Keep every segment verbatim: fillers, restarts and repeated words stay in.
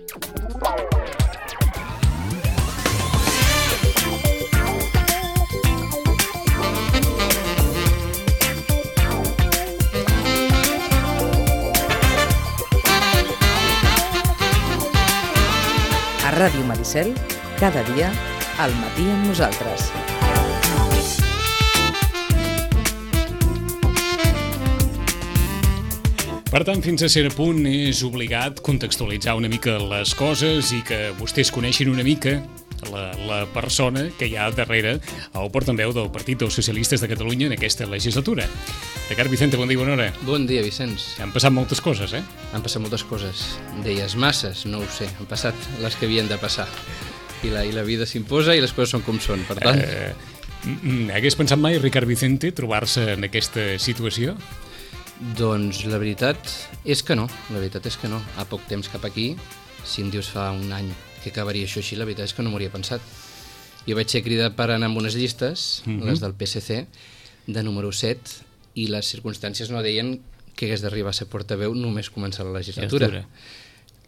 A Ràdio Maricel, cada dia, al matí amb nosaltres. Per tant, fins a cert punt és obligat contextualitzar una mica les coses i que vostès coneixin una mica la, la persona que hi ha darrere el portaveu del Partit dels Socialistes de Catalunya en aquesta legislatura. Ricard Vicente, bon dia, bona hora. Bon dia, Vicenç. Han passat moltes coses, eh? Han passat moltes coses. Deies masses, no ho sé. Han passat les que havien de passar. I la, i la vida s'imposa i les coses són com són, per tant... Eh, hagués pensat mai, Ricard Vicente, trobar-se en aquesta situació? Doncs la veritat és que no, la veritat és que no. A poc temps cap aquí, si em dius fa un any que acabaria això així, la veritat és que no m'ho hauria pensat. Jo vaig ser cridat per anar amb unes llistes, mm-hmm. les del P S C, de número set, i les circumstàncies no deien que hagués d'arribar a ser portaveu només començar la legislatura.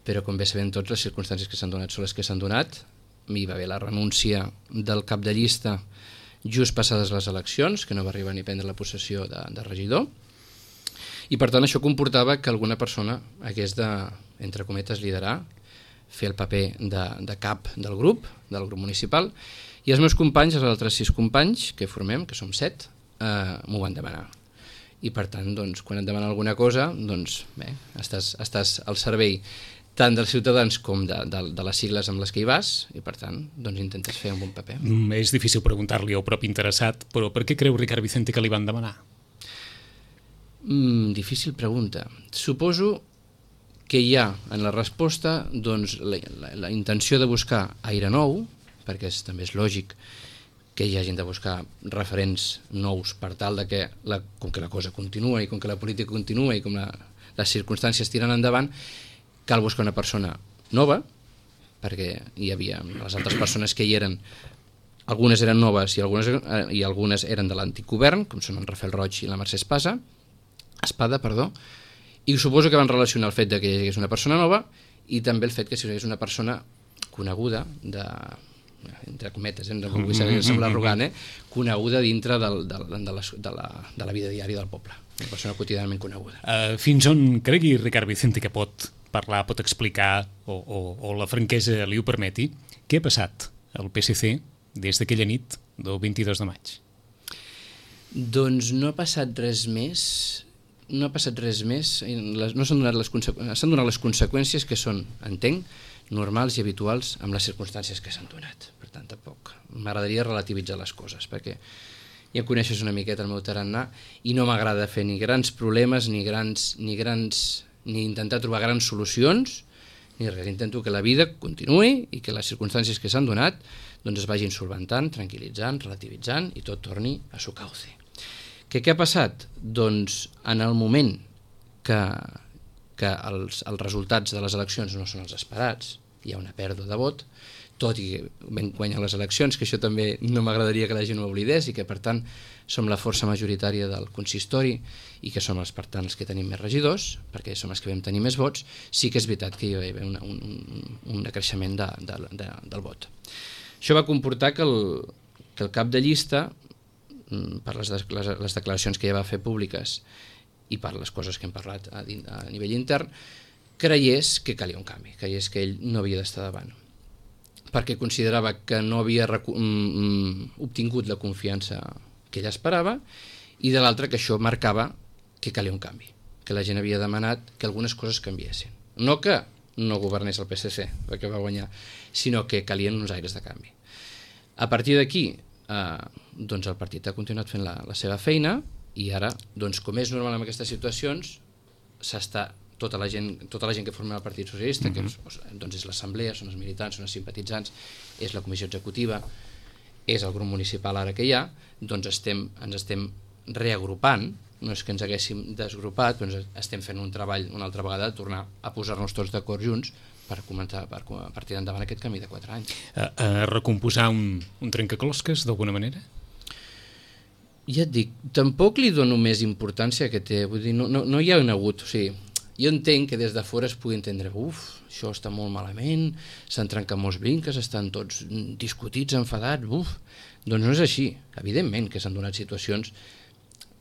Però com bé sabem tots, les circumstàncies que s'han donat són les que s'han donat. Hi va haver la renúncia del cap de llista just passades les eleccions, que no va arribar ni a prendre la possessió de, de regidor, i per tant això comportava que alguna persona hagués de, entre cometes, liderar, fer el paper de, de cap del grup, del grup municipal, i els meus companys, els altres sis companys que formem, que som set, eh, m'ho van demanar. I per tant, doncs, quan et demanen alguna cosa, doncs bé, estàs, estàs al servei tant dels ciutadans com de, de, de les sigles amb les que hi vas, i per tant, doncs intentes fer un bon paper. Mm, és difícil preguntar-li al propi interessat, però per què creu Ricard Vicente que li van demanar? Mm, difícil pregunta. Suposo que hi ha en la resposta doncs, la, la, la intenció de buscar aire nou, perquè és, també és lògic que hi hagin de buscar referents nous per tal de que, la, com que la cosa continua i com que la política continua i com la, les circumstàncies tiren endavant, cal buscar una persona nova, perquè hi havia les altres persones que hi eren, algunes eren noves i algunes, eh, i algunes eren de l'antic govern, com són en Rafael Roig i la Mercè Espasa, Espada, perdó, i suposo que van relacionar el fet de que hi hagués una persona nova i també el fet que si hi hagués una persona coneguda de, entre cometes, eh, no vull semblar arrogant, eh, coneguda dintre del, del, de, la, de, la, de la vida diària del poble, una persona quotidianament coneguda. Uh, fins on cregui Ricard Vicente que pot parlar, pot explicar o, o, o la franquesa li ho permeti, què ha passat al P S C des d'aquella nit del vint-i-dos de maig? Doncs no ha passat res més, no ha passat res més, no s'han donat les, s'han donat les conseqüències que són, entenc, normals i habituals amb les circumstàncies que s'han donat. Per tant, tampoc m'agradaria relativitzar les coses, perquè ja coneixes una miqueta el meu tarannà i no m'agrada fer ni grans problemes, ni grans, ni grans, ni intentar trobar grans solucions, ni res. Intento que la vida continuï i que les circumstàncies que s'han donat doncs es vagin solventant, tranquil·litzant, relativitzant i tot torni a su cauce. Que què ha passat? Doncs en el moment que, que els, els resultats de les eleccions no són els esperats, hi ha una pèrdua de vot, tot i que vam guanyar les eleccions, que això també no m'agradaria que la gent ho oblidés i que per tant som la força majoritària del consistori i que som els, per tant, els que tenim més regidors, perquè som els que vam tenir més vots, sí que és veritat que hi va haver una, un, un, un decreixement de, de, de, del vot. Això va comportar que el, que el cap de llista, per les, les, les declaracions que ja va fer públiques i per les coses que hem parlat a, a nivell intern, creiés que calia un canvi, creiés que ell no havia d'estar davant, perquè considerava que no havia recu- mm, obtingut la confiança que ella esperava, i de l'altra que això marcava que calia un canvi, que la gent havia demanat que algunes coses canviessin. No que no governés el P S C, perquè va guanyar, sinó que calien uns aires de canvi. A partir d'aquí, eh, doncs el partit ha continuat fent la, la seva feina, i ara, doncs, com és normal en aquestes situacions, s'està tota la gent, tota la gent que forma el Partit Socialista, mm-hmm. que és, doncs és l'assemblea, són els militants, són els simpatitzants, és la comissió executiva, és el grup municipal ara que hi ha, doncs estem, ens estem reagrupant, no és que ens haguéssim desgrupat, però estem fent un treball una altra vegada de tornar a posar-nos tots d'acord junts per començar per, per tirar endavant aquest camí de quatre anys. A, a recomposar un, un trencaclosques d'alguna manera? Ja et dic, tampoc li dono més importància que té, vull dir, no, no, no hi ha hagut, o sigui, jo entenc que des de fora es pugui entendre, uf, això està molt malament, s'han trencat molts brinques, estan tots discutits, enfadats, uf. Doncs no és així. Evidentment que s'han donat situacions...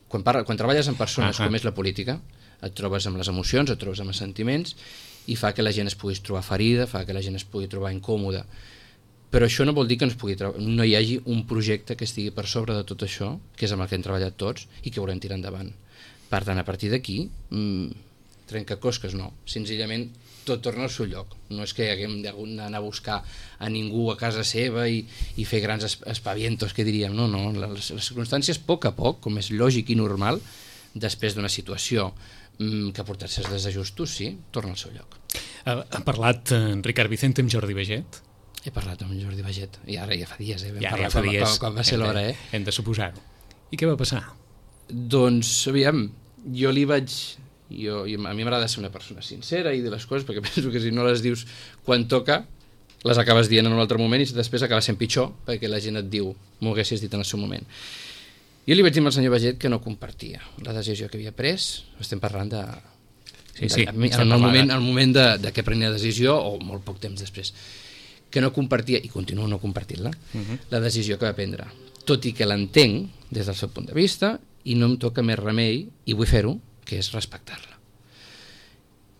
Quan, parla, quan treballes amb persones uh-huh. com és la política, et trobes amb les emocions, et trobes amb els sentiments, i fa que la gent es pugui trobar ferida, fa que la gent es pugui trobar incòmoda. Però això no vol dir que no, es pugui no hi hagi un projecte que estigui per sobre de tot això, que és amb el que hem treballat tots, i que volem tirar endavant. Per tant, a partir d'aquí, mmm, trencaclosques no. Senzillament, tot torna al seu lloc. No és que haguem d'anar a buscar a ningú a casa seva i, i fer grans espavientos, que diríem. No, no. Les, les circumstàncies, a poc a poc, com és lògic i normal, després d'una situació mmm, que ha portat certs desajustos, sí, torna al seu lloc. Ha, ha parlat en Ricard Vicente amb Jordi Baiget? He parlat amb Jordi Baiget, i ara ja fa dies, eh? Ja, ja fa quan, dies. Quan, quan va ser l'hora, eh? Hem de suposar-ho. I què va passar? Doncs, aviam, jo li vaig... Jo, a mi m'agrada ser una persona sincera i dir les coses, perquè penso que si no les dius quan toca, les acabes dient en un altre moment i després acaba sent pitjor, perquè la gent et diu, m'ho haguessis dit en el seu moment. Jo li vaig dir al senyor Baiget que no compartia la decisió que havia pres, estem parlant de... Sí, sí, de, en el moment, el moment de, de que prenia la decisió, o molt poc temps després, que no compartia, i continuo no compartint-la, uh-huh. la decisió que va prendre. Tot i que l'entenc des del seu punt de vista, i no em toca més remei, i vull fer-ho, que és respectar-la.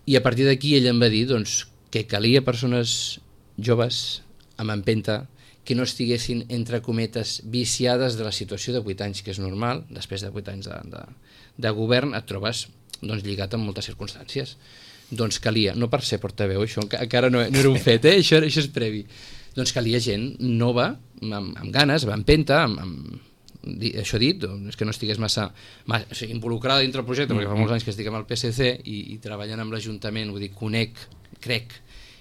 I a partir d'aquí ell em va dir doncs, que calia persones joves, amb empenta, que no estiguessin, entre cometes, viciades de la situació de vuit anys, que és normal, després de vuit anys de, de, de govern et trobes doncs, lligat amb moltes circumstàncies. Doncs calia, no per ser portaveu, això encara no, no era un fet, eh? això, això és previ, doncs calia gent nova, amb, amb ganes, amb empenta, amb, amb això dit, és que no estigués massa, massa o sigui, involucrada dintre el projecte, perquè fa molts anys que estic amb el P S C i, i treballant amb l'Ajuntament, vull dir, conec, crec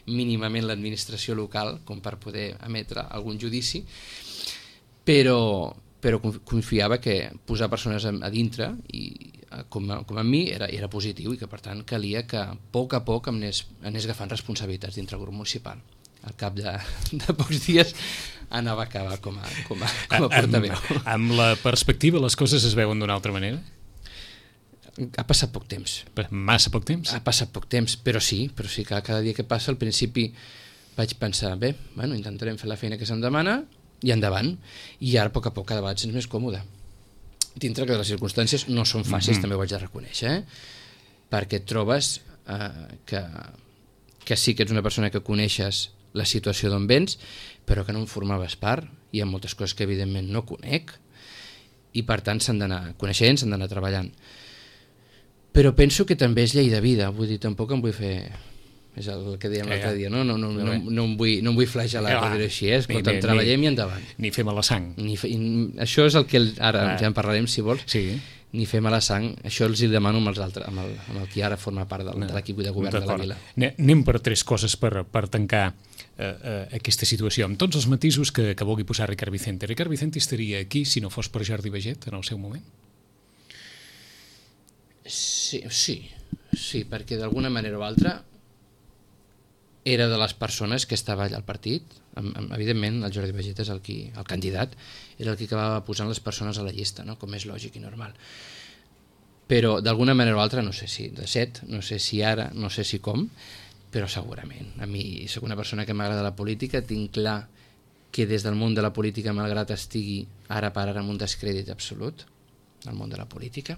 mínimament l'administració local com per poder emetre algun judici, però, però confiava que posar persones a, a dintre i com a, com a mi era, era positiu i que per tant calia que a poc a poc em anés, anés agafant responsabilitats dintre el grup municipal. Al cap de, de pocs dies anava a acabar com a, com a, com a portaveu. Amb, amb la perspectiva les coses es veuen d'una altra manera? Ha passat poc temps. Massa poc temps? Ha passat poc temps, però sí, però sí que cada dia que passa al principi vaig pensar, bé, bueno, intentarem fer la feina que se'm demana i endavant, i ara a poc a poc cada vegada ets més còmode. Dintre que les circumstàncies no són fàcils, mm-hmm. també ho vaig de reconèixer, eh? Perquè et trobes eh, que, que sí que ets una persona que coneixes la situació d'on vens, però que no en formaves part, hi ha moltes coses que evidentment no conec, i per tant s'han d'anar coneixent, s'han d'anar treballant. Però penso que també és llei de vida, vull dir, tampoc em vull fer... És el que dèiem l'altre dia, no? No, no, no, no, no, em vull, no em vull flagelar, per dir-ho així, eh? Escolta, treballem i endavant. Ni fer mala sang. Ni fe... Això és el que ara ah. ja en parlarem, si vols. Sí. Ni fer mala sang, això els hi demano amb els altres, amb el, amb el qui ara forma part del, no. de l'equip de govern de la vila. Anem per tres coses per, per tancar eh, eh, aquesta situació, amb tots els matisos que, que vulgui posar Ricard Vicente. Ricard Vicente estaria aquí si no fos per Jordi Baiget en el seu moment? Sí, sí, sí, perquè d'alguna manera o altra era de les persones que estava allà al partit. Evidentment, el Jordi Baiget és el, qui, el candidat, era el que acabava posant les persones a la llista, no? Com és lògic i normal. Però d'alguna manera o altra, no sé si de set, no sé si ara, no sé si com, però segurament. A mi, soc una persona que m'agrada la política, tinc clar que des del món de la política, malgrat estigui ara per ara en un descrèdit absolut, el món de la política,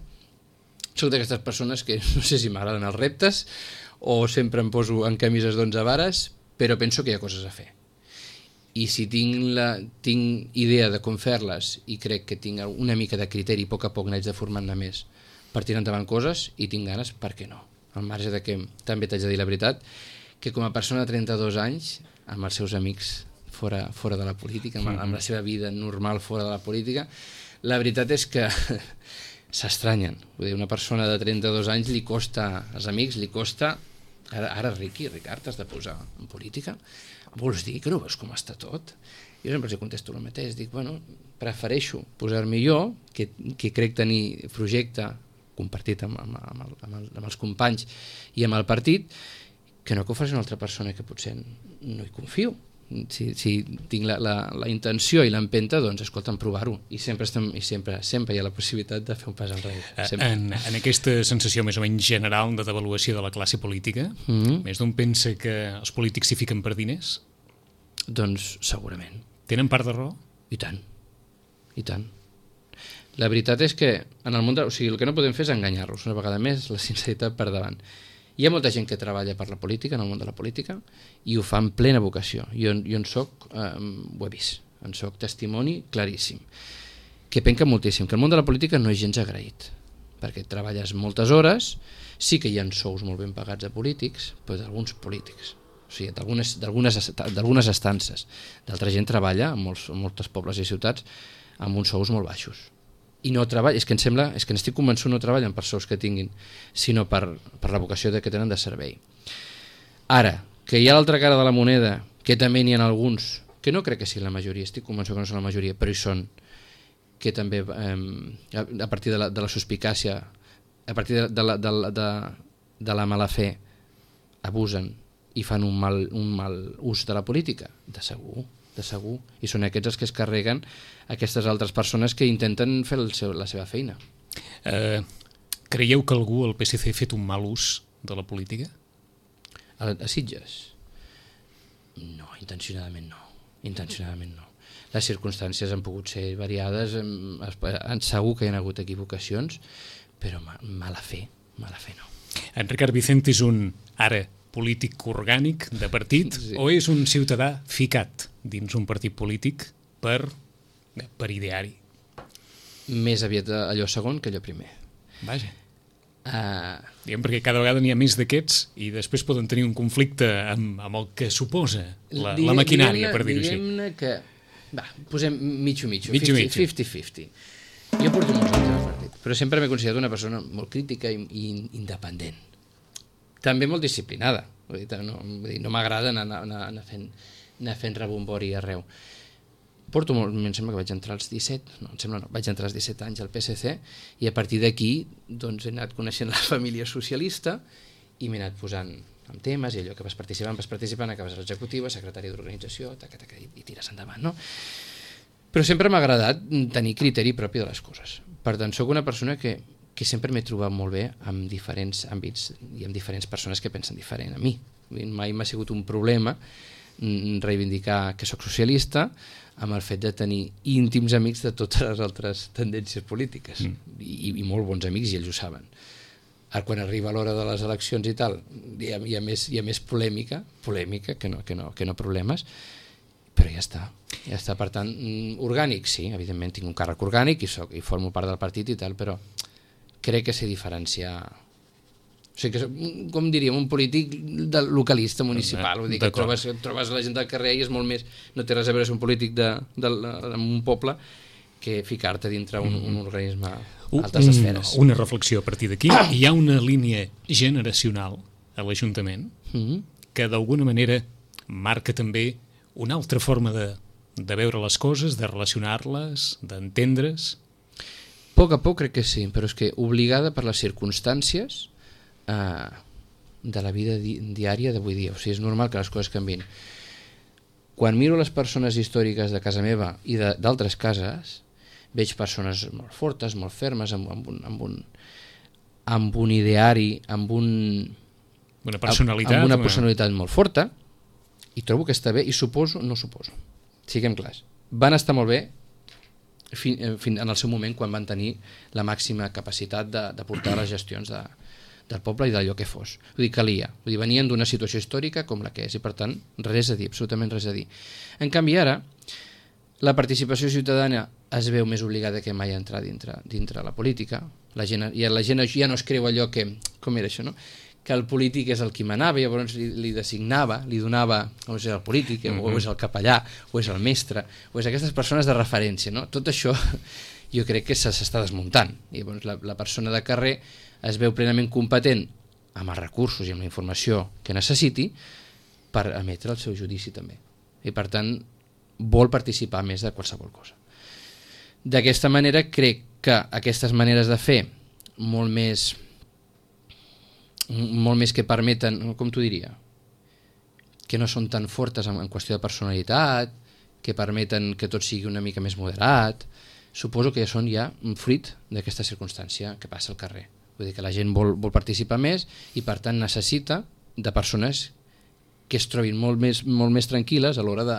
soc d'aquestes persones que no sé si m'agraden els reptes o sempre em poso en camises d'onze vares, però penso que hi ha coses a fer. I si tinc, la, tinc idea de com fer-les i crec que tinc una mica de criteri, a poc a poc n'haig de formar-ne més per tirar endavant coses, i tinc ganes, per què no? Al marge de que també t'haig de dir la veritat, que com a persona de trenta-dos anys, amb els seus amics fora, fora de la política, amb, amb la seva vida normal fora de la política, la veritat és que s'estranyen. Vull dir, una persona de trenta-dos anys li costa, als amics li costa, ara, ara Riqui, Ricard, has de posar en política? Vols dir que no veus com està tot? Jo sempre els contesto el mateix, dic, bueno, prefereixo posar-me jo, que, que crec tenir projecte compartit amb, amb, amb, el, amb, el, amb els companys i amb el partit, que no que ho faci una altra persona que potser no hi confio. si, si tinc la, la, la intenció i l'empenta, doncs escolta'm, provar-ho, i sempre, estem, i sempre sempre hi ha la possibilitat de fer un pas enrere. En, en aquesta sensació més o menys general de devaluació de la classe política, mm-hmm. més d'un pensa que els polítics s'hi fiquen per diners? Doncs segurament. Tenen part de raó? I tant, i tant. La veritat és que en el món de... o sigui, el que no podem fer és enganyar-los, una vegada més, la sinceritat per davant. Hi ha molta gent que treballa per la política, en el món de la política, i ho fa en plena vocació. Jo, jo en soc, eh, ho he vist, en soc testimoni claríssim, que penca moltíssim, que el món de la política no és gens agraït, perquè treballes moltes hores, sí que hi ha sous molt ben pagats a polítics, però d'alguns polítics, o sigui, d'algunes estances. D'altra gent treballa en molts, en moltes pobles i ciutats amb uns sous molt baixos. I no treballa, és que em sembla, és que n'estic convençut, no treballen per sous que tinguin, sinó per, per la vocació de que tenen de servei. Ara, que hi ha l'altra cara de la moneda, que també n'hi ha alguns, que no crec que sigui la majoria, estic convençut que no són la majoria, però hi són, que també eh, a partir de la, de la suspicàcia, a partir de, de, la, de, la, de, de la mala fe, abusen i fan un mal, un mal ús de la política, de segur. de segur, i són aquests els que es carreguen aquestes altres persones que intenten fer el seu, la seva feina. Eh, creieu que algú al P S C ha fet un mal ús de la política? A, a Sitges? No, intencionadament no. Intencionadament no. Les circumstàncies han pogut ser variades, segur que hi ha hagut equivocacions, però mala fe, mala fe no. En Ricard Vicente és un, ara, polític orgànic de partit, sí. O és un ciutadà ficat dins un partit polític per, per ideari? Més aviat allò segon que allò primer. Vaja. Uh... Diguem, perquè cada vegada n'hi ha més d'aquests i després poden tenir un conflicte amb, amb el que suposa la, diguem, la maquinària, per dir-ho així. Diguem-ne que... Va, posem mitjo-mitjo, mitjo-mitjo. cinquanta-cinquanta. Jo porto molts anys al partit, però sempre m'he considerat una persona molt crítica i, i independent. També molt disciplinada, vull dir, no, vull dir, no m'agrada anar, anar, anar, fent, anar fent rebombori arreu. Porto molt, em sembla que vaig entrar als disset, no, em sembla no, vaig entrar als disset anys al P S C i a partir d'aquí doncs, he anat coneixent la família socialista i m'he anat posant en temes i allò que vas participant, vas participant, acabes a l'executiva, secretari d'organització, taca, taca, i, i tires endavant, no? Però sempre m'ha agradat tenir criteri propi de les coses. Per tant, sóc una persona que que sempre m'he trobat molt bé en diferents àmbits i amb diferents persones que pensen diferent a mi. Mai m'ha sigut un problema reivindicar que sóc socialista amb el fet de tenir íntims amics de totes les altres tendències polítiques mm. I, i molt bons amics i ells ho saben. Ara quan arriba l'hora de les eleccions i tal hi ha, hi ha, més, hi ha més polèmica polèmica que no, que no, que no problemes, però ja està, ja està. Per tant, orgànic sí, evidentment tinc un càrrec orgànic i, soc, i formo part del partit i tal, però crec que sé diferenciar, o sigui, que, com diríem, un polític de localista municipal, vull dir que trobes, trobes la gent del carrer i és molt més, no té res a veure ser un polític de, de, de, de un poble que ficar-te dintre un, un organisme altes esferes. Una reflexió a partir d'aquí. Hi ha una línia generacional a l'Ajuntament mm-hmm. que d'alguna manera marca també una altra forma de, de veure les coses, de relacionar-les, d'entendre's. A poc a poc crec que sí, però és que obligada per les circumstàncies eh, de la vida di diària d'avui dia. O sigui, és normal que les coses canvin. Quan miro les persones històriques de casa meva i d'altres cases, veig persones molt fortes, molt fermes, amb, amb, un, amb, un, amb un ideari, amb, un, una personalitat, amb una personalitat molt forta, i trobo que està bé, i suposo, no suposo, siguem clars, van estar molt bé Fin, fin, en el seu moment quan van tenir la màxima capacitat de, de portar les gestions de, del poble i d'allò que fos. Vull dir, calia. Vull dir, venien d'una situació històrica com la que és i per tant res a dir, absolutament res a dir. En canvi ara la participació ciutadana es veu més obligada que mai a entrar dintre, dintre la política. La gent, ja, la gent ja no es creu allò que, com era això, no? Que el polític és el qui manava, llavors li, li designava, li donava, o és el polític, uh-huh. o és el capellà, o és el mestre, o és aquestes persones de referència, no? Tot això jo crec que s'està desmuntant. I llavors la, la persona de carrer es veu plenament competent amb els recursos i amb la informació que necessiti per emetre el seu judici també. I per tant vol participar més de qualsevol cosa. D'aquesta manera crec que aquestes maneres de fer molt més molt més que permeten, com t'ho diria, que no són tan fortes en, en qüestió de personalitat, que permeten que tot sigui una mica més moderat, suposo que són ja un fruit d'aquesta circumstància que passa al carrer. Vull dir que la gent vol, vol participar més i per tant necessita de persones que es trobin molt més, molt més tranquil·les a l'hora de,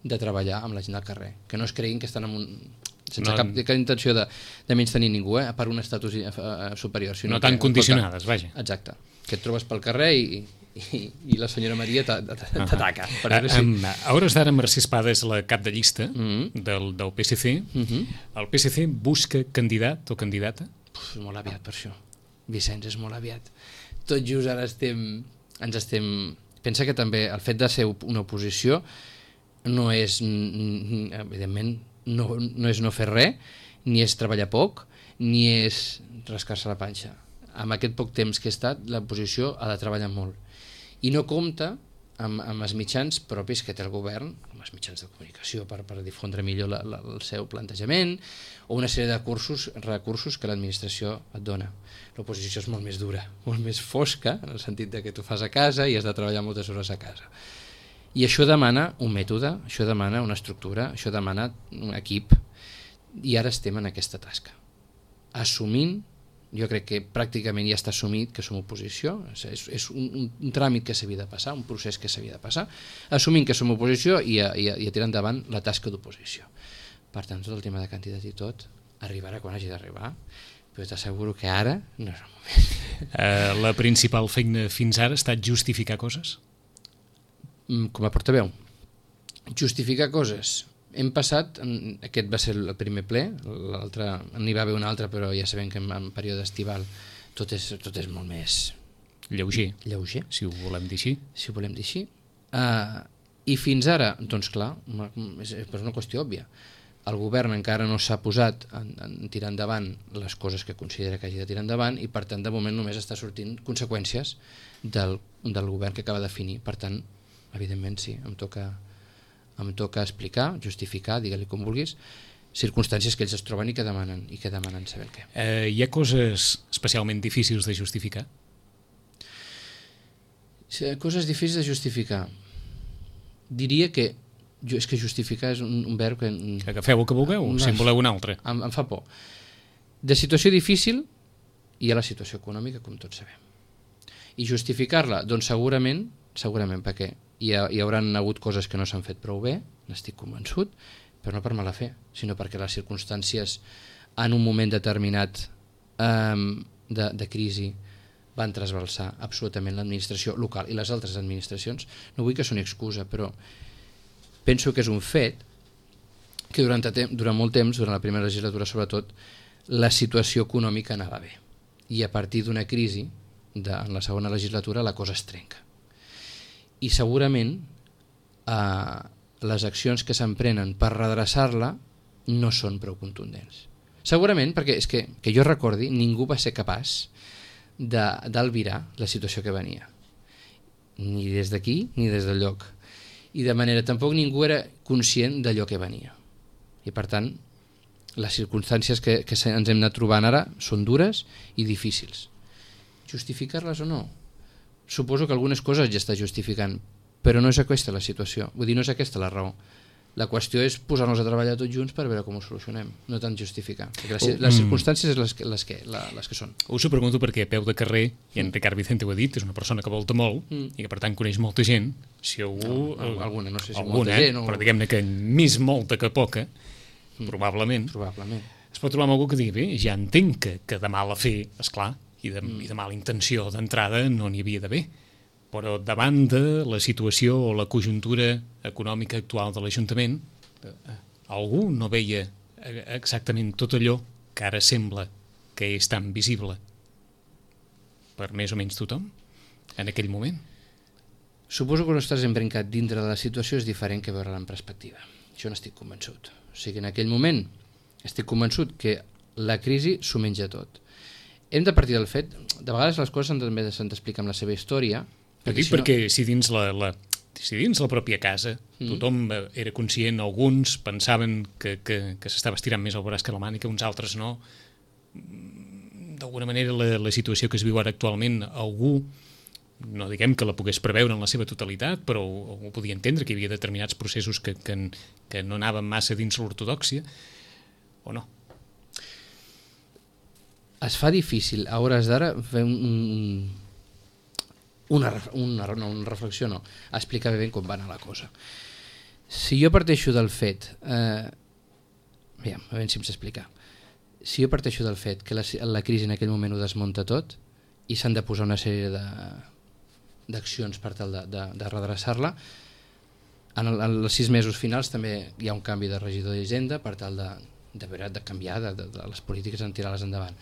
de treballar amb la gent del carrer, que no es creguin que estan en un, sense no, cap, cap intenció de, de menys tenir ningú, eh, per un estatus uh, superior. Sinó no tan que, condicionades, vaja. Exacte, que et trobes pel carrer i, i, i la senyora Maria t'ataca. Uh -huh. sí. uh, a hores d'ara Mercè Espada és la cap de llista uh -huh. del, del P S C. Uh -huh. El P S C busca candidat o candidata? Uf, molt aviat per això. Vicenç, és molt aviat. Tot just ara estem, ens estem... Pensa que també el fet de ser una oposició no és, evidentment, no, no és no fer res, ni és treballar poc, ni és rascar-se la panxa. Amb aquest poc temps que he estat, l'oposició ha de treballar molt. I no compta amb, amb els mitjans propis que té el govern, amb els mitjans de comunicació per, per difondre millor la, la, el seu plantejament, o una sèrie de cursos, recursos que l'administració et dona. L'oposició és molt més dura, molt més fosca, en el sentit de que tu fas a casa i has de treballar moltes hores a casa. I això demana un mètode, això demana una estructura, això demana un equip, i ara estem en aquesta tasca. Assumint, jo crec que pràcticament ja està assumit que som oposició, és, és un, un, un tràmit que s'havia de passar, un procés que s'havia de passar, assumint que som oposició i a, i a, i a tirar endavant la tasca d'oposició. Per tant, tot el tema de candidat i tot arribarà quan hagi d'arribar, però t'asseguro que ara no és el moment. Uh, la principal feina fins ara ha estat justificar coses? Com a portaveu, justificar coses. Hem passat, aquest va ser el primer ple, l'altre n'hi va haver un altre, però ja sabem que en, en període estival tot és, tot és molt més lleuger, lleuger, si ho volem dir així. Si ho volem dir així. Uh, I fins ara, doncs clar, és, és una qüestió òbvia. El govern encara no s'ha posat en, en tirar endavant les coses que considera que hagi de tirar endavant i per tant de moment només està sortint conseqüències del, del govern que acaba de definir. Per tant, evidentment sí, em toca, em toca explicar, justificar, digue-li com vulguis, circumstàncies que ells es troben i que demanen, i que demanen saber què. Eh, hi ha coses especialment difícils de justificar? Coses difícils de justificar. Diria que jo, és que justificar és un, un verb que... Que agafeu el que vulgueu, no, si en voleu un altre. Em, em fa por. De situació difícil hi ha la situació econòmica, com tots sabem. I justificar-la, doncs segurament, segurament perquè hi, ha, hi hauran hagut coses que no s'han fet prou bé, n'estic convençut, però no per mala fe, sinó perquè les circumstàncies en un moment determinat um, de, de crisi van trasbalsar absolutament l'administració local i les altres administracions. No vull que soni excusa, però penso que és un fet que durant, durant molt temps, durant la primera legislatura sobretot, la situació econòmica anava bé. I a partir d'una crisi, de, en la segona legislatura, la cosa es trenca. I segurament eh, les accions que s'emprenen per redreçar-la no són prou contundents. Segurament, perquè és que, que jo recordi, ningú va ser capaç d'albirar la situació que venia. Ni des d'aquí, ni des del lloc. I de manera tampoc ningú era conscient d'allò que venia. I per tant, les circumstàncies que, que ens hem anat trobant ara són dures i difícils. Justificar-les o no? Suposo que algunes coses ja està justificant, però no és aquesta la situació. Vull dir, no és aquesta la raó. La qüestió és posar-nos a treballar tots junts per veure com ho solucionem, no tant justificar. Perquè les, les circumstàncies és les que, les, que, la, les que són. Us ho pregunto perquè a peu de carrer, i en Ricard Vicente ho ha dit, és una persona que volta molt mm. i que per tant coneix molta gent. Si algú... No, alguna, no sé si alguna, molta gent. O... Però diguem-ne que més molta que poca, mm. probablement, probablement, es pot trobar amb algú que digui, bé, ja entenc que, que de mala fe, esclar, i de, mm. i de mala intenció d'entrada no n'hi havia d'haver. Però davant de la situació o la conjuntura econòmica actual de l'Ajuntament, algú no veia exactament tot allò que ara sembla que és tan visible per més o menys tothom en aquell moment. Suposo que no estàs embrencat dintre de la situació és diferent que veure-la en perspectiva. Jo n'estic convençut. O sigui, en aquell moment estic convençut que la crisi s'ho menja tot. Hem de partir del fet, de vegades les coses també s'han d'explicar amb la seva història. Perquè, si perquè no... si dins la, la, si dins la pròpia casa mm. tothom era conscient, alguns pensaven que, que, que s'estava estirant més el braç que la mànica, uns altres no. D'alguna manera la, la situació que es viu ara actualment, algú no diguem que la pogués preveure en la seva totalitat, però ho, ho podia entendre, que hi havia determinats processos que, que, que no anaven massa dins l'ortodòxia, o no? Es fa difícil a hores d'ara fer un, un, una, una, no, una reflexió, no, explicar bé com va anar la cosa. Si jo parteixo del fet, eh, aviam, a veure si em sé explicar, si jo parteixo del fet que la, la crisi en aquell moment ho desmunta tot i s'han de posar una sèrie d'accions per tal de, de, de redreçar-la, en, el, en els sis mesos finals també hi ha un canvi de regidor d'Hisenda per tal de, de, de canviar de, de, de les polítiques, en tirar-les endavant.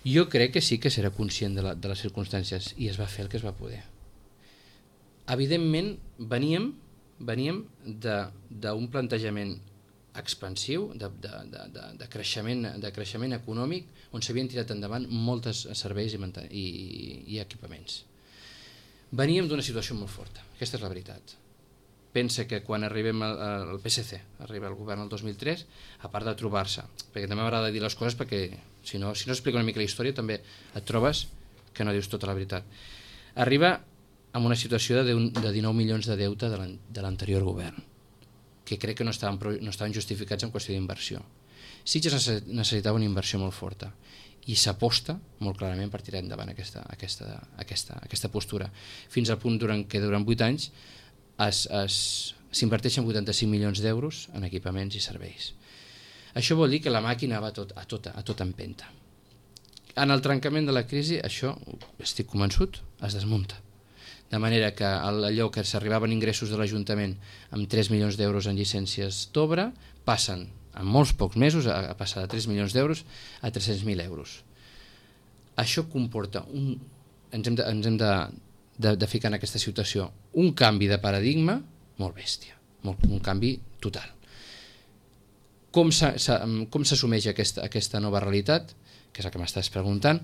Jo crec que sí que serà conscient de, la, de les circumstàncies i es va fer el que es va poder. Evidentment veníem, veníem d'un plantejament expansiu, de, de, de, de, de, creixement, de creixement econòmic on s'havien tirat endavant moltes serveis i, i, i equipaments. Veníem d'una situació molt forta, aquesta és la veritat. Pensa que quan arribem al, al P S C, arriba al govern el dos mil tres, a part de trobar-se, perquè també m'agrada dir les coses perquè si no, si no explico una mica la història també et trobes que no dius tota la veritat. Arriba amb una situació de, de dinou milions de deute de l'anterior govern, que crec que no estaven, no estaven justificats en qüestió d'inversió. Sitges necessitava una inversió molt forta i s'aposta molt clarament per tirar endavant aquesta, aquesta, aquesta, aquesta postura, fins al punt durant, que durant vuit anys s'inverteixen vuitanta-cinc milions d'euros en equipaments i serveis. Això vol dir que la màquina va a tot, a tota, a tota empenta. En el trencament de la crisi, això, estic convençut, es desmunta. De manera que allò que s'arribaven ingressos de l'Ajuntament amb tres milions d'euros en llicències d'obra passen en molts pocs mesos a passar de tres milions d'euros a tres-cents mil euros. Això comporta, un, ens hem, de, ens hem de, de, de ficar en aquesta situació, un canvi de paradigma molt bèstia, molt, un canvi total. Com s'assumeix aquesta, aquesta nova realitat, que és el que m'estàs preguntant?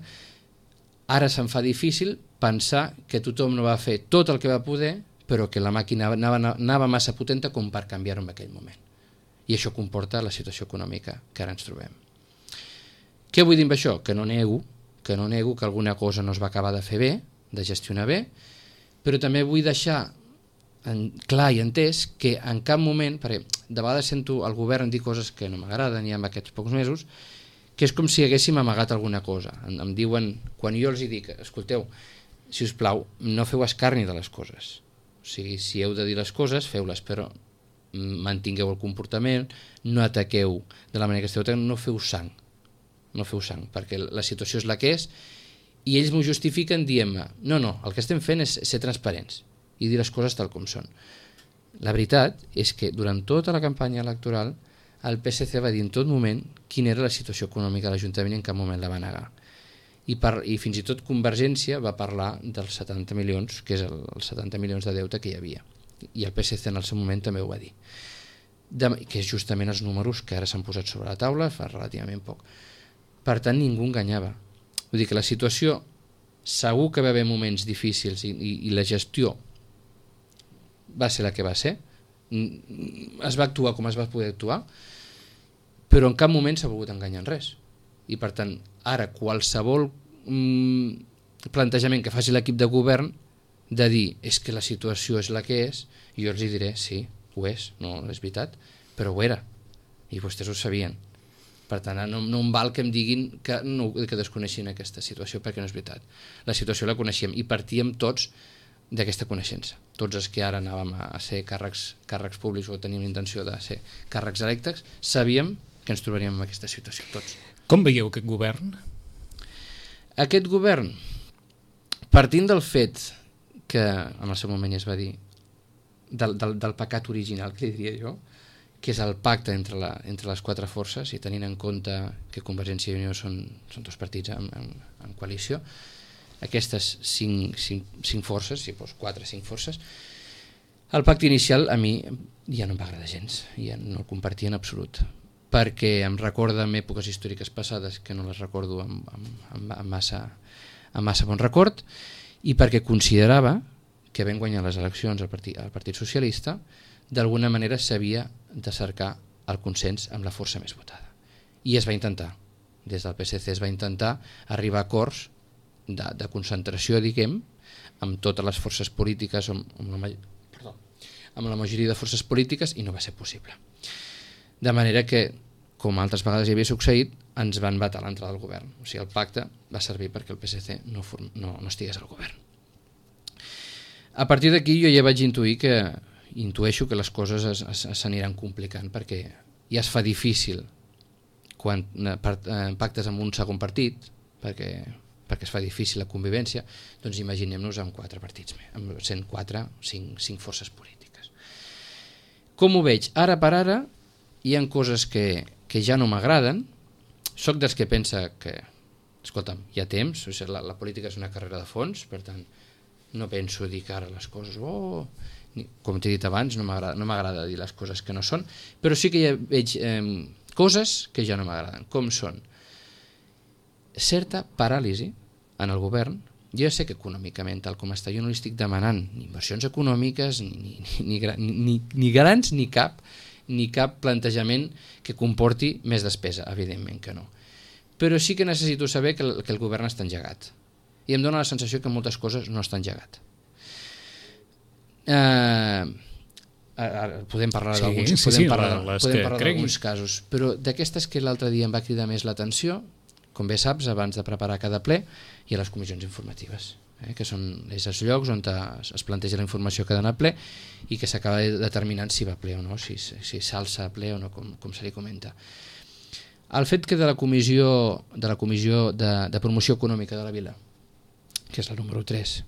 Ara se'm fa difícil pensar que tothom no va fer tot el que va poder, però que la màquina anava, anava massa potenta com per canviar-ho en aquell moment. I això comporta la situació econòmica que ara ens trobem. Què vull dir amb això? Que no nego, que no nego que alguna cosa no es va acabar de fer bé, de gestionar bé, però també vull deixar en, clar i entès que en cap moment, perquè de vegades sento el govern dir coses que no m'agraden ja en aquests pocs mesos, que és com si haguéssim amagat alguna cosa. Em, em diuen, quan jo els dic, escolteu, si us plau, no feu escarni de les coses. O sigui, si heu de dir les coses, feu-les, però mantingueu el comportament, no ataqueu de la manera que esteu ataquant, no feu sang, no feu sang, perquè la situació és la que és, i ells m'ho justifiquen dient-me, no, no, el que estem fent és ser transparents i dir les coses tal com són. La veritat és que durant tota la campanya electoral el P S C va dir en tot moment quina era la situació econòmica de l'Ajuntament i en cap moment la va negar. I, per, i fins i tot Convergència va parlar dels setanta milions, que és el, els setanta milions de deute que hi havia. I el P S C en el seu moment també ho va dir. De, que és justament els números que ara s'han posat sobre la taula fa relativament poc. Per tant, ningú enganyava. Vull dir que la situació, segur que va haver moments difícils i, i, i la gestió va ser la que va ser, es va actuar com es va poder actuar, però en cap moment s'ha volgut enganyar en res. I per tant, ara qualsevol mm, plantejament que faci l'equip de govern de dir és que la situació és la que és, jo els diré, sí, ho és, no és veritat, però ho era, i vostès ho sabien. Per tant, no, no em val que em diguin que, no, que desconeixin aquesta situació, perquè no és veritat. La situació la coneixíem i partíem tots d'aquesta coneixença. Tots els que ara anàvem a ser càrrecs, càrrecs públics o teníem intenció de ser càrrecs electes, sabíem que ens trobaríem en aquesta situació, tots. Com veieu aquest govern? Aquest govern, partint del fet que en el seu moment ja es va dir del, del, del pecat original, que li diria jo, que és el pacte entre, la, entre les quatre forces, i tenint en compte que Convergència i Unió són, són dos partits en, en, en coalició, aquestes cinc, cinc, cinc forces, si fos quatre, cinc forces, el pacte inicial a mi ja no em va agradar gens, ja no el compartia en absolut, perquè em recorda en èpoques històriques passades que no les recordo amb, amb, amb, amb, massa, amb massa bon record, i perquè considerava que havent guanyat les eleccions al Partit, al Partit Socialista, d'alguna manera s'havia de cercar el consens amb la força més votada. I es va intentar, des del P S C es va intentar arribar a acords de, de concentració, diguem, amb totes les forces polítiques, amb, amb, la, perdó, amb la majoria de forces polítiques, i no va ser possible. De manera que, com altres vegades hi havia succeït, ens van vetar l'entrada al govern. O sigui, el pacte va servir perquè el P S C no, form, no, no estigués al govern. A partir d'aquí jo ja vaig intuir que, intueixo que les coses s'aniran complicant, perquè ja es fa difícil quan eh, pactes amb un segon partit, perquè, perquè es fa difícil la convivència, doncs imaginem-nos amb quatre partits, amb cent quatre, cinc, cinc forces polítiques. Com ho veig? Ara per ara hi ha coses que, que ja no m'agraden. Soc dels que pensa que, escolta'm, hi ha temps, o sigui, la, la política és una carrera de fons, per tant, no penso dir que ara les coses, oh, com t'he dit abans, no m'agrada no m'agrada dir les coses que no són, però sí que ja veig eh, coses que ja no m'agraden, com són certa paràlisi en el govern. Jo sé que econòmicament, tal com està, jo no li estic demanant ni inversions econòmiques, ni, ni, ni, ni, ni, ni grans, ni cap, ni cap plantejament que comporti més despesa, evidentment que no. Però sí que necessito saber que el, que el govern està engegat. I em dóna la sensació que moltes coses no estan engegat. Eh, podem parlar sí, d'alguns sí, podem sí, parlar, les podem que parlar cregui. d'alguns casos, però d'aquestes que l'altre dia em va cridar més l'atenció, com bé saps, abans de preparar cada ple, hi ha les comissions informatives, eh, que són és els llocs on es, es planteja la informació que ha d'anar a ple i que s'acaba determinant si va a ple o no, si, si s'alça a ple o no, com, com se li comenta. El fet que de la comissió de la comissió de, de promoció econòmica de la vila, que és la número tres,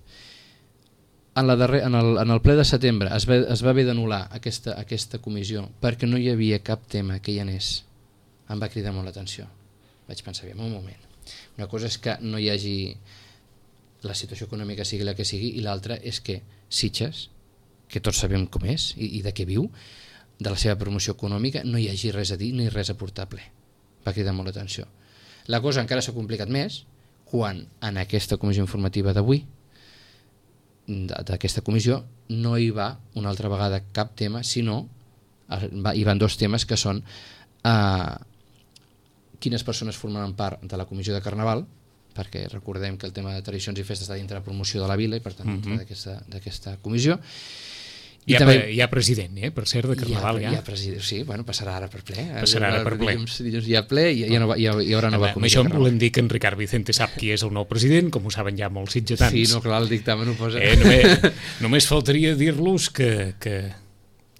en, la darrer, en, el, en el ple de setembre es va, es va haver d'anul·lar aquesta, aquesta comissió perquè no hi havia cap tema que hi anés, em va cridar molt l'atenció. Vaig pensar, bé, un moment, una cosa és que no hi hagi la situació econòmica sigui la que sigui, i l'altra és que Sitges, que tots sabem com és i, i de què viu, de la seva promoció econòmica, no hi hagi res a dir ni res a portar a ple. Va cridar molt l'atenció. La cosa encara s'ha complicat més quan en aquesta comissió informativa d'avui, d'aquesta comissió, no hi va una altra vegada cap tema, sinó hi van dos temes que són eh, quines persones formaran part de la comissió de Carnaval, perquè recordem que el tema de tradicions i festes està dintre la promoció de la vila i per tant dintre mm-hmm. d'aquesta comissió. I hi ha, també, hi ha president, eh, per cert, de Carnaval. Hi ha, hi ha president, sí, bueno, passarà ara per ple. Passarà ara per ple. Dilluns, dilluns hi ha ple i ja no va, hi, ha, hi haurà nova Amb comissió. Amb això volem dir que en Ricard Vicente sap qui és el nou president, com ho saben ja molts sitgetans. Sí, no, clar, el dictamen ho posa. Eh, només, només faltaria dir-los que, que,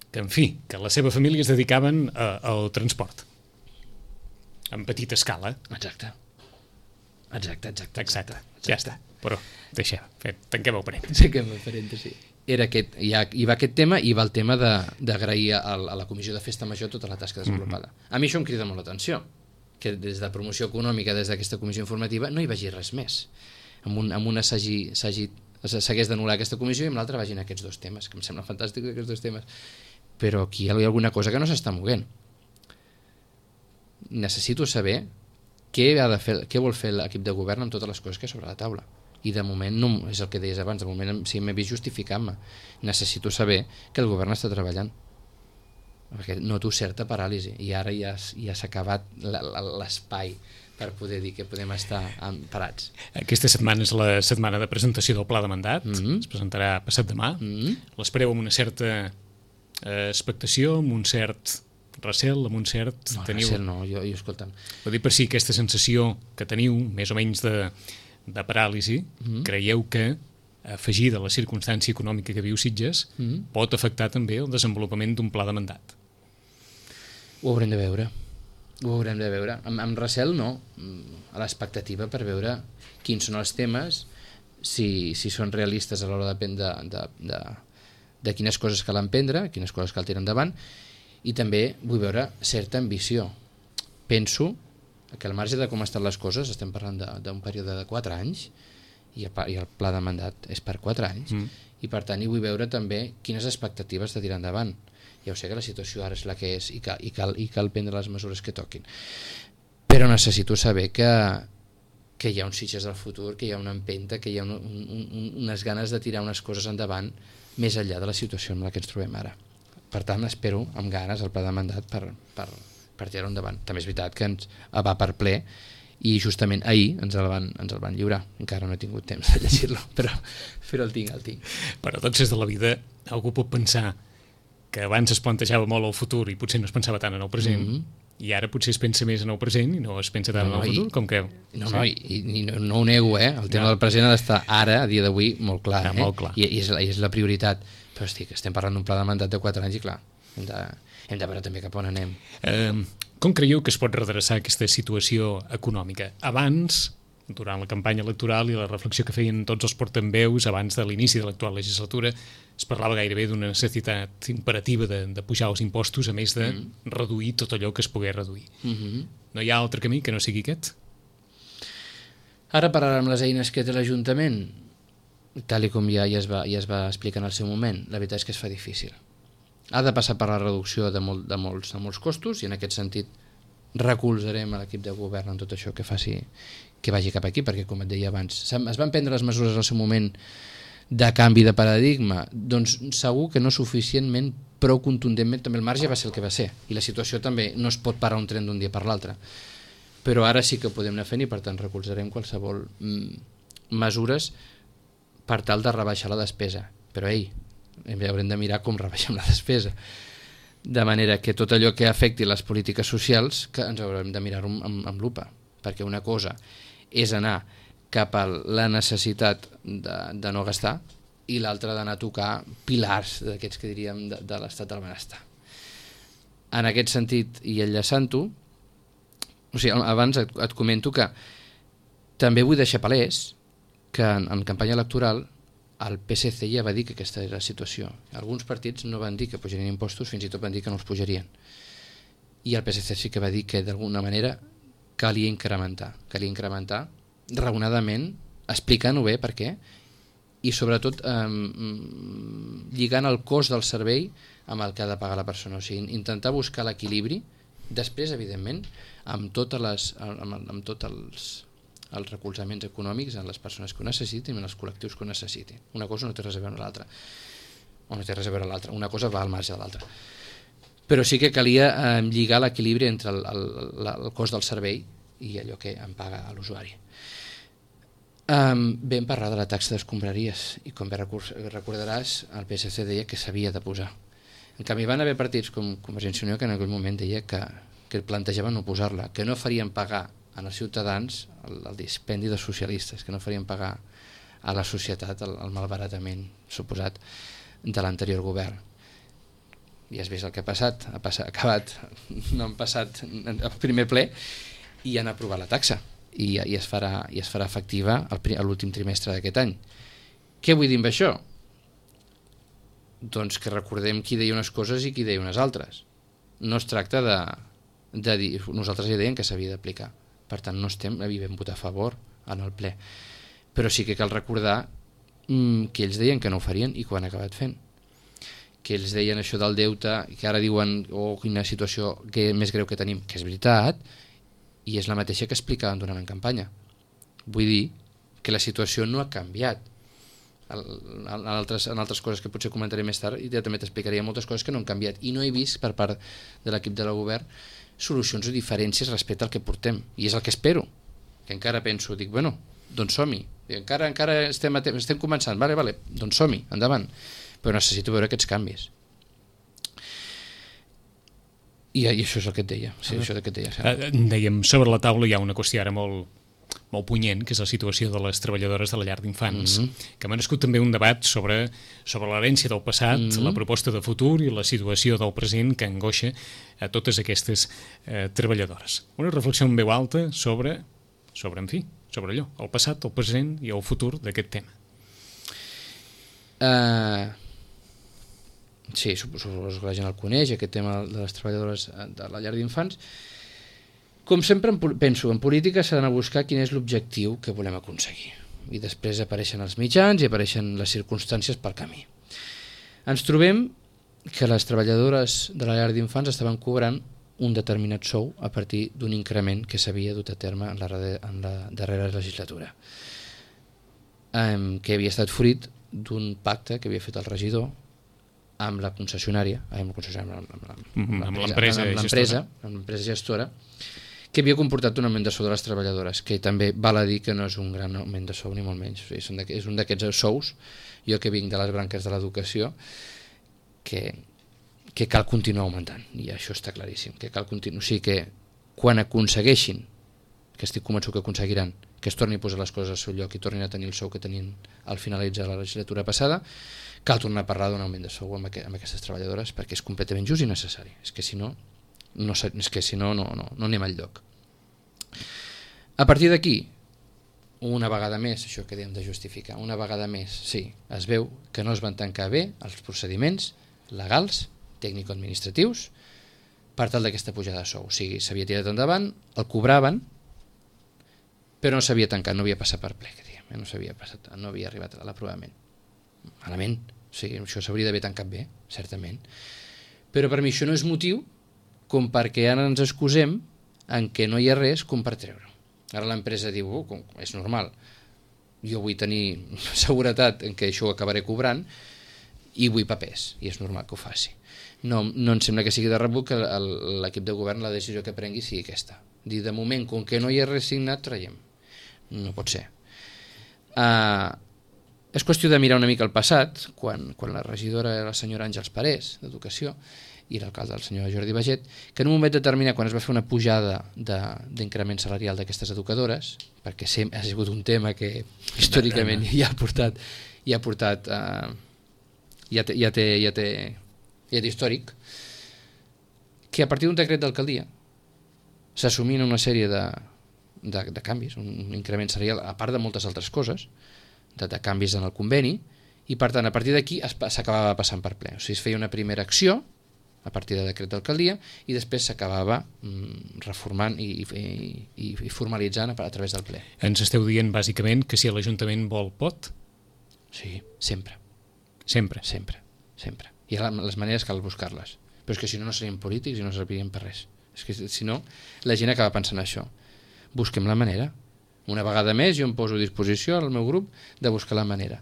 que, en fi, que la seva família es dedicaven a, al transport. En petita escala. Exacte. Exacte, exacte. Exacte, ja està. Però deixem, tanquem el parèntesi. Tanquem el parèntesi. Era aquest, hi, ha, hi va aquest tema i va el tema d'agrair a, a la comissió de festa major tota la tasca desenvolupada. Mm-hmm. A mi això em crida molt l'atenció, que des de promoció econòmica, des d'aquesta comissió informativa, no hi vagi res més. Amb, un, amb una s'hagués d'anul·lar aquesta comissió i amb l'altra vagin aquests dos temes, que em sembla fantàstic aquests dos temes. Però aquí hi ha alguna cosa que no s'està movent. Necessito saber què, ha de fer, què vol fer l'equip de govern amb totes les coses que hi ha sobre la taula. I de moment, no, és el que deies abans, de moment sí m'he vist justificant-me. Necessito saber que el govern està treballant. Perquè noto certa paràlisi i ara ja, ja s'ha acabat l'espai per poder dir que podem estar parats. Aquesta setmana és la setmana de presentació del pla de mandat, mm-hmm. es presentarà passat demà. Mm-hmm. L'espereu amb una certa eh, expectació, amb un cert recel, amb un cert... No, teniu... recel no, jo, jo escolta'm. Vull dir per si aquesta sensació que teniu, més o menys de... de paràlisi, mm-hmm. creieu que afegir de la circumstància econòmica que viu Sitges mm-hmm. pot afectar també el desenvolupament d'un pla de mandat? Ho haurem de veure. Ho haurem de veure. Amb, amb recel no, a l'expectativa per veure quins són els temes, si, si són realistes a l'hora de, de, de, de, de quines coses cal emprendre, quines coses cal tirar endavant, i també vull veure certa ambició. Penso que al marge de com estan les coses, estem parlant d'un període de quatre anys i el, i el pla de mandat és per quatre anys mm. i per tant hi vull veure també quines expectatives de tirar endavant. Ja ho sé que la situació ara és la que és i cal, i cal, i cal prendre les mesures que toquin, però necessito saber que, que hi ha uns Sitges del futur, que hi ha una empenta, que hi ha un, un, un, unes ganes de tirar unes coses endavant més enllà de la situació en la que ens trobem ara. Per tant, espero amb ganes el pla de mandat per, per, per tirar-ho endavant. També és veritat que ens va per ple i justament ahir ens el van, ens el van lliurar. Encara no he tingut temps de llegir-lo, però, però el tinc, el tinc. Per a tots és de la vida, algú pot pensar que abans es plantejava molt el futur i potser no es pensava tant en el present, mm-hmm. i ara potser es pensa més en el present i no es pensa tant no, en el futur, i, com que... No, no, i, i no, no ho nego, eh? El tema no. del present ha d'estar ara, a dia d'avui, molt clar, ja, eh? molt clar. I, i, és la, I és la prioritat. Però estic, estem parlant d'un pla de mandat de quatre anys i clar, hem de, hem de veure també cap on anem. Eh, com creieu que es pot redreçar aquesta situació econòmica? Abans, durant la campanya electoral i la reflexió que feien tots els portaveus abans de l'inici de l'actual legislatura, es parlava gairebé d'una necessitat imperativa de, de pujar els impostos, a més de mm. reduir tot allò que es pogués reduir. Mm-hmm. No hi ha altre camí que no sigui aquest? Ara parlarem amb les eines que té l'Ajuntament, tal i com ja, ja, es va, ja es va explicar en el seu moment. La veritat és que es fa difícil. Ha de passar per la reducció de, molt, de, molts, de molts costos i en aquest sentit recolzarem a l'equip de govern en tot això que faci que vagi cap aquí, perquè com et deia abans es van prendre les mesures al seu moment de canvi de paradigma, doncs segur que no suficientment, prou contundentment, també el marge va ser el que va ser i la situació també no es pot parar un tren d'un dia per l'altre, però ara sí que podem anar fent i per tant recolzarem qualsevol mm, mesures per tal de rebaixar la despesa, però ei, haurem de mirar com rebaixem la despesa, de manera que tot allò que afecti les polítiques socials que ens haurem de mirar amb, amb, amb lupa, perquè una cosa és anar cap a la necessitat de, de no gastar i l'altra d'anar a tocar pilars d'aquests que diríem de, de l'estat del benestar. En aquest sentit, i enllaçant-ho, o sigui, abans et, et comento que també vull deixar palès que en, en campanya electoral el P S C ja va dir que aquesta era la situació. Alguns partits no van dir que pujarien impostos, fins i tot van dir que no els pujarien. I el P S C sí que va dir que d'alguna manera calia incrementar, calia incrementar raonadament, explicant-ho bé per què, i sobretot eh, lligant el cost del servei amb el que ha de pagar la persona, o sigui, intentar buscar l'equilibri, després, evidentment, amb, totes les, amb, amb tots els, els recolzaments econòmics en les persones que ho necessitin i en els col·lectius que ho necessitin. Una cosa no té res a veure amb l'altra, o no té res a veure amb l'altra, una cosa va al marge de l'altra. Però sí que calia eh, lligar l'equilibri entre el, el, el, el cost del servei i allò que em paga l'usuari. Um, vam parlar de la taxa d'escombraries i com bé recordaràs el P S C deia que s'havia de posar. En canvi van haver partits com Convergència i Unió que en aquell moment deia que, que plantejaven no posar-la, que no farien pagar als ciutadans el, el dispendi dels socialistes, que no farien pagar a la societat el, el malbaratament suposat de l'anterior govern. I has vist el que ha passat, ha, passat, ha acabat, no han passat el primer ple i han aprovat la taxa i, i, es, farà, i es farà efectiva a l'últim trimestre d'aquest any. Què vull dir amb això? Doncs que recordem qui deia unes coses i qui deia unes altres. No es tracta de, de dir, nosaltres ja deien que s'havia d'aplicar, per tant no estem, havíem votat a favor en el ple, però sí que cal recordar mmm, que ells deien que no ho farien i que ho han acabat fent, que ells deien això del deute, que ara diuen oh, quina situació que més greu que tenim, que és veritat, i és la mateixa que explicaven durant la campanya. Vull dir que la situació no ha canviat. En altres, en altres coses que potser comentaré més tard i ja també t'explicaria moltes coses que no han canviat i no he vist per part de l'equip de la govern solucions o diferències respecte al que portem, i és el que espero, que encara penso, dic, bueno, doncs som-hi, encara, encara estem, estem començant, vale, vale, doncs som-hi, endavant, però necessito veure aquests canvis. I, i això és el que et deia, sí, això que et deia. Sí. Dèiem, sobre la taula hi ha una qüestió ara molt, molt punyent, que és la situació de les treballadores de la llar d'infants, mm-hmm. que m'ha nascut també un debat sobre, sobre l'herència del passat, mm-hmm. la proposta de futur i la situació del present que angoixa a totes aquestes eh, treballadores. Una reflexió en veu alta sobre, sobre, en fi, sobre allò, el passat, el present i el futur d'aquest tema. Uh, sí, suposo que la gent el coneix, aquest tema de les treballadores de la llar d'infants. Com sempre penso, en política s'ha d'anar a buscar quin és l'objectiu que volem aconseguir. I després apareixen els mitjans i apareixen les circumstàncies pel camí. Ens trobem que les treballadores de la llar d'infants estaven cobrant un determinat sou a partir d'un increment que s'havia dut a terme en la, en la darrera legislatura, um, que havia estat fruit d'un pacte que havia fet el regidor amb la concessionària, amb l'empresa gestora, que havia comportat un augment de sou de les treballadores, que també val a dir que no és un gran augment de sou ni molt menys, o sigui, és un d'aquests sous, jo que vinc de les branques de l'educació, que, que cal continuar augmentant, i això està claríssim, que cal continuar, o sigui que quan aconsegueixin, que estic convençut que aconseguiran, que es torni a posar les coses al seu lloc i tornin a tenir el sou que tenien al finalitzar la legislatura passada, cal tornar a parlar d'un augment de sou amb, amb aquestes treballadores perquè és completament just i necessari. És que si no, no, és que si no, no, no, no anem al lloc. A partir d'aquí, una vegada més, això que dèiem de justificar, una vegada més, sí, es veu que no es van tancar bé els procediments legals, tècnico-administratius, per tal d'aquesta pujada de sou. O sigui, s'havia tirat endavant, el cobraven, però no s'havia tancat, no havia passat per ple, que diguem, no s'havia passat, no havia arribat a l'aprovament. Malament, o sigui, això s'hauria d'haver tancat bé, certament. Però per mi això no és motiu com perquè ara ens excusem en què no hi ha res com per treure. Ara l'empresa diu, oh, com, és normal, jo vull tenir seguretat en què això ho acabaré cobrant i vull papers, i és normal que ho faci. No, no em sembla que sigui de rebut que l'equip de govern la decisió que prengui sigui aquesta. Dir, de moment, com que no hi ha res signat, traiem. No pot ser. Uh, és qüestió de mirar una mica el passat, quan, quan la regidora era la senyora Àngels Parés, d'Educació, i l'alcalde, el senyor Jordi Baget, que en un moment determinat, quan es va fer una pujada d'increment salarial d'aquestes educadores, perquè sempre ha sigut un tema que històricament ja ha portat, ja ha portat, uh, ja té, ja té, ja té, ja té històric, que a partir d'un decret d'alcaldia s'assumien una sèrie de, de, de canvis, un increment salarial, a part de moltes altres coses, de, de canvis en el conveni, i per tant, a partir d'aquí s'acabava passant per ple. O sigui, es feia una primera acció, a partir de decret d'alcaldia, i després s'acabava mm, reformant i, i, i, i formalitzant a, a través del ple. Ens esteu dient, bàsicament, que si l'Ajuntament vol, pot? Sí, sempre. Sempre? Sempre, sempre. I les maneres cal buscar-les. Però és que si no, no serien polítics i no serviríem per res. És que si no, la gent acaba pensant això. Busquem la manera. Una vegada més jo em poso a disposició al meu grup de buscar la manera.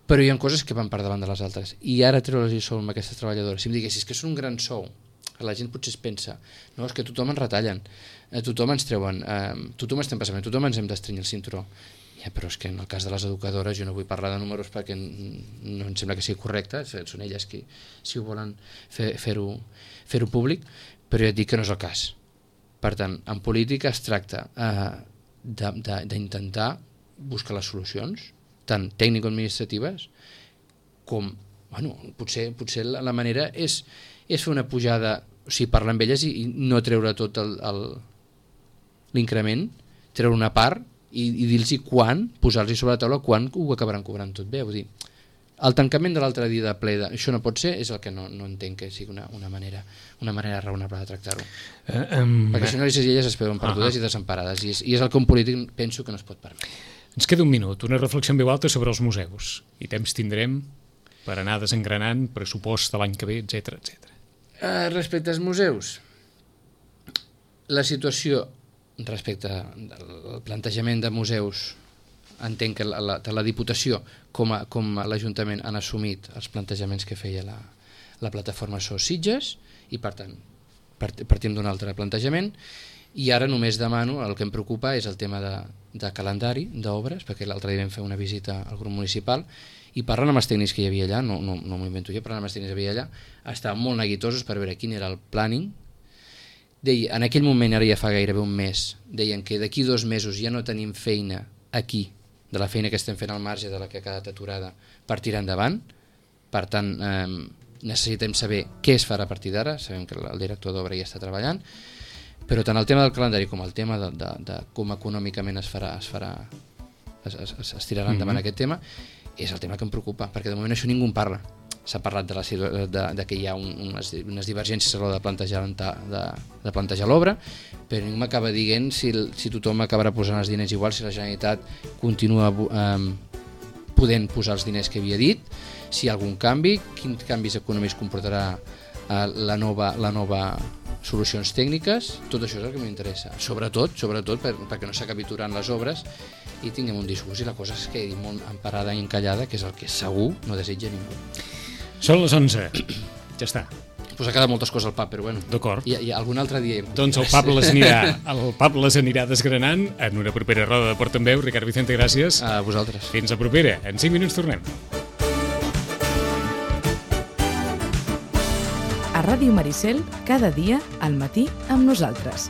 Però hi ha coses que van per davant de les altres. I ara treure'ls i sou amb aquestes treballadores. Si em diguessis que és un gran sou, la gent potser es pensa, no, és que tothom ens retallen, a tothom ens treuen, eh, tothom estem passant, tothom ens hem d'estrenyir el cinturó. Ja, però és que en el cas de les educadores jo no vull parlar de números perquè no em sembla que sigui correcte, són elles qui, si ho volen fer, fer-ho fer-ho públic, però ja et dic que no és el cas. Per tant, en política es tracta eh, d'intentar buscar les solucions, tant tècnico-administratives com, bueno, potser, potser la, la manera és, és fer una pujada, o sigui, parlar amb elles i, i no treure tot l'increment, treure una part i, i dir-los quan, posar-los sobre la taula quan ho acabaran cobrant tot bé. Vull dir, el tancament de l'altre dia de ple, de, això no pot ser, és el que no, no entenc que sigui una, una, manera, una manera raonable de tractar-ho. Uh, um, Perquè si no, ells i elles es veuen perdudes uh -huh. i desemparades, i és, i és el que un polític penso que no es pot permetre. Ens queda un minut, una reflexió en veu alta sobre els museus. I temps tindrem per anar desengranant pressupost de l'any que ve, etcètera, etcètera. Uh, respecte als museus, la situació respecte al plantejament de museus, entenc que la, la, la Diputació com a, com a l'Ajuntament han assumit els plantejaments que feia la, la plataforma SOS Sitges i per tant partim d'un altre plantejament i ara només demano, el que em preocupa és el tema de, de calendari d'obres, perquè l'altre dia vam fer una visita al grup municipal i parlant amb els tècnics que hi havia allà, no, no, no m'ho invento jo, parlant amb els tècnics que hi havia allà, estaven molt neguitosos per veure quin era el planning. Deia, en aquell moment, ara ja fa gairebé un mes, deien que d'aquí dos mesos ja no tenim feina aquí, de la feina que estem fent al marge de la que ha quedat aturada per tirar endavant. Per tant, eh, necessitem saber què es farà a partir d'ara, sabem que el director d'obra ja està treballant, però tant el tema del calendari com el tema de, de, de com econòmicament es farà, es, farà, es, es, es tirarà endavant mm-hmm. aquest tema, és el tema que em preocupa, perquè de moment això ningú en parla. S'ha parlat de, la, de, de que hi ha un, unes, unes divergències a l'hora de plantejar, de, de plantejar l'obra, però ningú m'acaba dient si, si tothom acabarà posant els diners igual, si la Generalitat continua eh, podent posar els diners que havia dit, si hi ha algun canvi, quins canvis econòmics comportarà eh, la, nova, la nova solucions tècniques, tot això és el que m'interessa. Sobretot, sobretot per, perquè no s'acabi aturant les obres i tinguem un discurs i la cosa es quedi molt emparada i encallada, que és el que segur no desitja ningú. Són les onze. Ja està. pues ha quedat moltes coses al pub, però bueno. D'acord. I, I algun altre dia... Doncs el pub les anirà, el pub les anirà desgranant en una propera roda de Portaveu. Ricard Vicente, gràcies. A vosaltres. Fins la propera. En cinc minuts tornem. A Ràdio Maricel, cada dia al matí amb nosaltres.